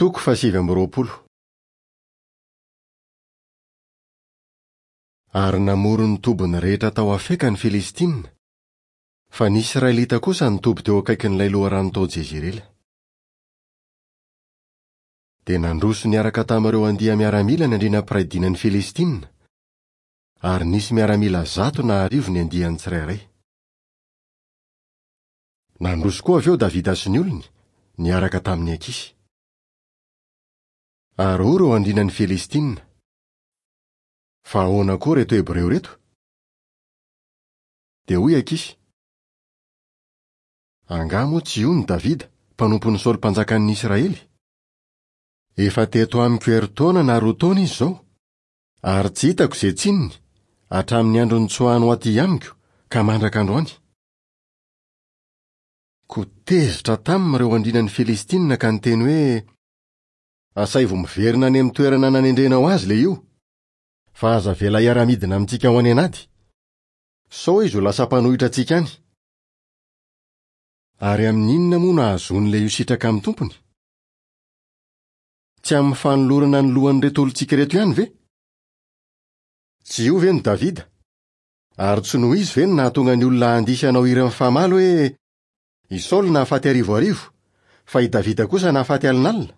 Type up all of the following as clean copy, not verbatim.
Toko fahasivy amby roapolo. Ary namory ny tobiny rehetra tao Afeka ny Filistina, fa ny Israelita kosa nitoby teo akaikin'ilay loharano tao Jezirela. Dia nandroso niaraka tamin'ireo andia-miaramila ny andriana mpiray dinan'ny Filistina, ary nisy miaramila zato na arivo ny andiany tsirairay. Nandroso koa avy eo Davida sy ny olony, niaraka tamin'i Akisy. Ary hoy ireo andrianan'ny Filistina, Fa ahoana koa ireto Hebreo ireto? Dia hoy Akisy, Angaha moa tsy io no Davida, mpanompon'i Saoly mpanjakan'ny Israely? Efa teto amiko herintaona na roa taona izy izao, ary tsy hitako izay tsininy, hatramin'ny andro nitsoahany ho aty amiko ka mandraka androany. Koa tezitra taminy ireo andrianan'ny Filistina ka niteny hoe, Asaivo miverina any amin'ny toerana nanendrenao azy ilay io, fa aza avela hiara-midina amintsika ho any an'ady, sao izy ho lasa mpanohitra antsika any. Ary amin'ny inona moa no ahazoan'ilay io sitraka amin'ny tompony? Tsy amin'ny fanolorana ny lohan'ireto olontsika ireto ihany ve? Tsy io ve no Davida? Ary tsy noho izy ve no nahatonga ny olona handihy sy hanao hira mifamaly hoe, I Saoly nahafaty arivoarivo, fa i Davida kosa nahafaty alinalina?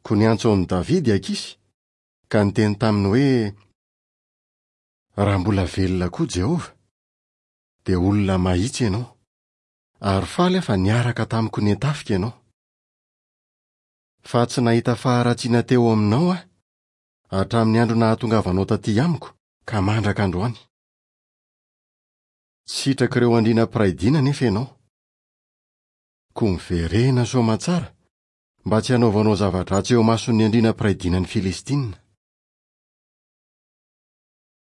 Koa niantso an'i Davida i Akisy, ka niteny taminy hoe, Raha mbola velona koa Jehovah, dia olona mahitsy ianao, ary faly aho fa niaraka tamiko niantafika ianao. Fa tsy nahita faharatsiana teo aminao aho, hatramin'ny andro nahatongavanao taty amiko ka mandraka androany. Tsy sitrak'ireo andriana mpiray dina anefa ianao. Koa miverena soamantsara, mba tsy hanaovanao zava-dratsy eo imason'ny andriana mpiray dinan'ny Filistina.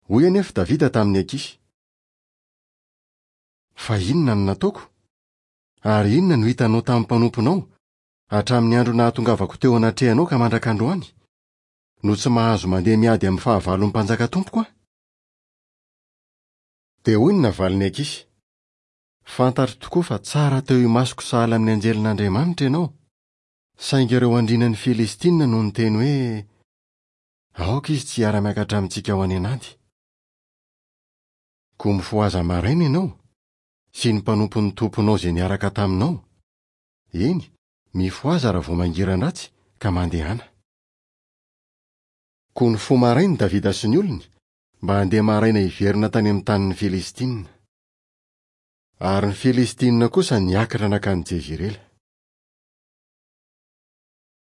Hoy anefa Davida tamin'i Akisy, Fa inona no nataoko? Ary inona no hitanao tamin'ny mpanomponao, hatramin'ny andro nahatongavako teo anatrehanao ka mandraka androany, no tsy mahazo mandeha miady amin'ny fahavalon'ny mpanjaka tompoko aho? Dia hoy ny navalin'i Akisy, Fantatro tokoa fa tsara teo imasoko sahala amin'ny anjelin'Andriamanitra ianao, saingy ireo andrianan'ny Filistina no niteny hoe, Aoka izy tsy hiara-miakatra amintsika ho any an'ady. Koa mifohaza maraina ianao, sy ny mpanompon'ny tomponao izay niaraka taminao, eny, mifohaza raha vao mangiran-dratsy, ka mandehana. Koa nifoha maraina i Davida sy ny olony, mba handeha maraina hiverina tany amin'ny tanin'ny Filistina. Ary ny Filistina kosa niakatra nankany Jezirela.